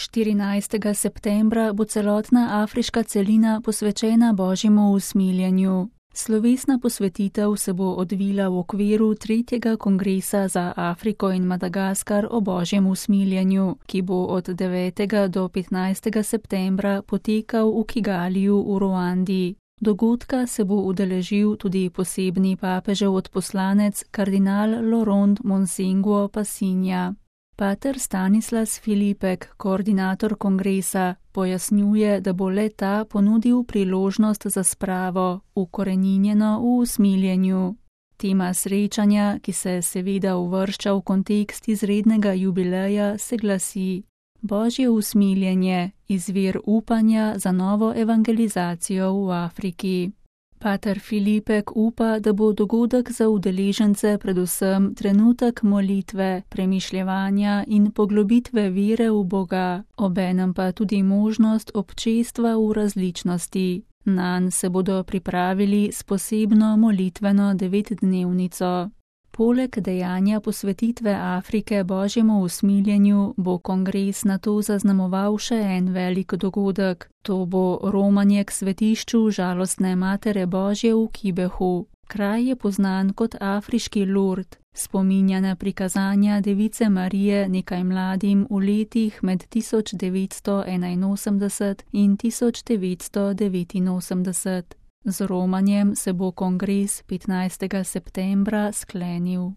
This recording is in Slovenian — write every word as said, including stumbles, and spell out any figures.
štirinajstega septembra bo celotna afriška celina posvečena Božjemu usmiljenju. Slovesna posvetitev se bo odvila v okviru tretjega kongresa za Afriko in Madagaskar o Božjem usmiljenju, ki bo od devetega do petnajstega septembra potekal v Kigaliju v Ruandi. Dogodka se bo udeležil tudi posebni papežev odposlanec kardinal Laurent Monsengwo Passinja. Pater Stanislas Filipek, koordinator kongresa, pojasnjuje, da bo le ta ponudil priložnost za spravo, ukoreninjeno v usmiljenju. Tema srečanja, ki se seveda uvršča v kontekst izrednega jubileja, se glasi: Božje usmiljenje, izvir upanja za novo evangelizacijo v Afriki. Pater Filipek upa, da bo dogodek za udeležence predvsem trenutek molitve, premišljevanja in poglobitve vere v Boga, obenem pa tudi možnost občestva v različnosti. Nanj se bodo pripravili s posebno molitveno devetdnevnico. Poleg dejanja posvetitve Afrike Božjemu usmiljenju bo kongres nato zaznamoval še en velik dogodek. To bo romanje k svetišču žalostne Matere Božje v Kibehu. Kraj je poznan kot afriški Lourdes, spominja na prikazanja Device Marije nekaj mladim v letih med tisoč devetsto enainosemdeset in tisoč devetsto devetinosemdeset. Z romanjem se bo kongres petnajstega septembra sklenil.